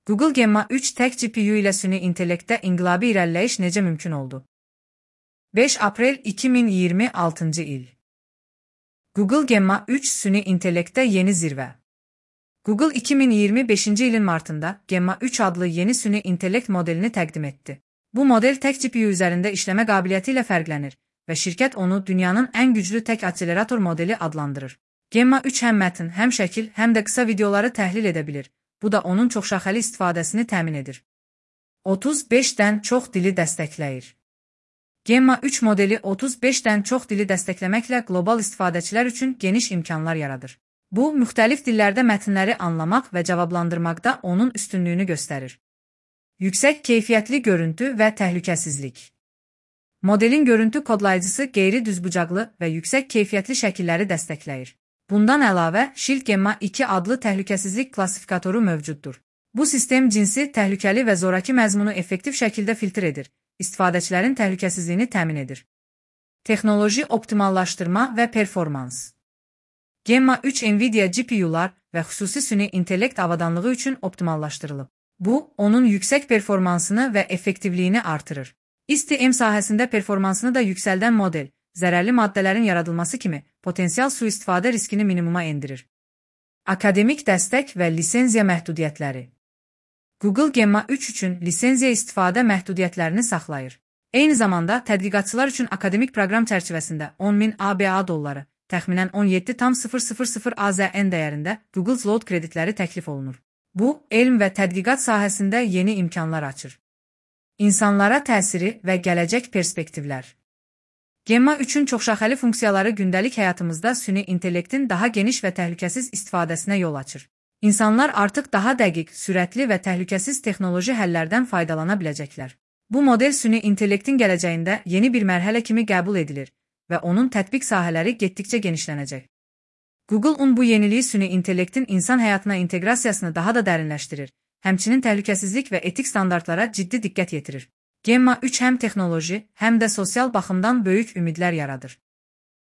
Google Gemma 3 tək GPU ilə süni intellektdə inqilabi irəliləyiş necə mümkün oldu? 5 aprel 2026 il. Google Gemma 3 süni intellektdə yeni zirvə. Google 2025 ilin martında Gemma 3 adlı yeni süni intellekt modelini təqdim etdi. Bu model tək GPU üzərində işləmə qabiliyyəti ilə fərqlənir və şirkət onu dünyanın ən güclü tək akselerator modeli adlandırır. Gemma 3 həm mətn, həm şəkil, həm də qısa videoları təhlil edə bilir. Bu da onun çoxşaxəli istifadəsini təmin edir. 35-dən çox dili dəstəkləyir. Gemma 3 modeli 35-dən çox dili dəstəkləməklə qlobal istifadəçilər üçün geniş imkanlar yaradır. Bu, müxtəlif dillərdə mətnləri anlamaq və cavablandırmaqda onun üstünlüyünü göstərir. Yüksək keyfiyyətli görüntü və təhlükəsizlik. Modelin görüntü kodlayıcısı qeyri-düzbucaqlı və yüksək keyfiyyətli şəkilləri dəstəkləyir. Bundan əlavə, Shield Gemma 2 adlı təhlükəsizlik klassifikatoru mövcuddur. Bu sistem cinsi, təhlükəli və zoraki məzmunu effektiv şəkildə filtr edir, istifadəçilərin təhlükəsizliyini təmin edir. Texnoloji optimallaşdırma və performans. Gemma 3 NVIDIA GPU-lar və xüsusi süni intellekt avadanlığı üçün optimallaşdırılıb. Bu, onun yüksək performansını və effektivliyini artırır. IST-M sahəsində performansını da yüksəldən model, zərərli maddələrin yaradılması kimi potensial sui-istifadə riskini minimuma endirir. Akademik dəstək və lisenziya məhdudiyyətləri. Google Gemma 3 üçün lisenziya istifadə məhdudiyyətlərini saxlayır. Eyni zamanda, tədqiqatçılar üçün akademik proqram çərçivəsində 10.000 ABA dolları, təxminən 17,000 AZN dəyərində Google Cloud kreditləri təklif olunur. Bu, elm və tədqiqat sahəsində yeni imkanlar açır. İnsanlara təsiri və gələcək perspektivlər. Gemma 3-ün çoxşaxəli funksiyaları gündəlik həyatımızda süni intellektin daha geniş və təhlükəsiz istifadəsinə yol açır. İnsanlar artıq daha dəqiq, sürətli və təhlükəsiz texnoloji həllərdən faydalana biləcəklər. Bu model süni intellektin gələcəyində yeni bir mərhələ kimi qəbul edilir və onun tətbiq sahələri getdikcə genişlənəcək. Google bu yeniliyi süni intellektin insan həyatına inteqrasiyasını daha da dərinləşdirir, həmçinin təhlükəsizlik və etik standartlara ciddi diqqət yetirir. Gemma 3 həm texnoloji, həm də sosial baxımdan böyük ümidlər yaradır.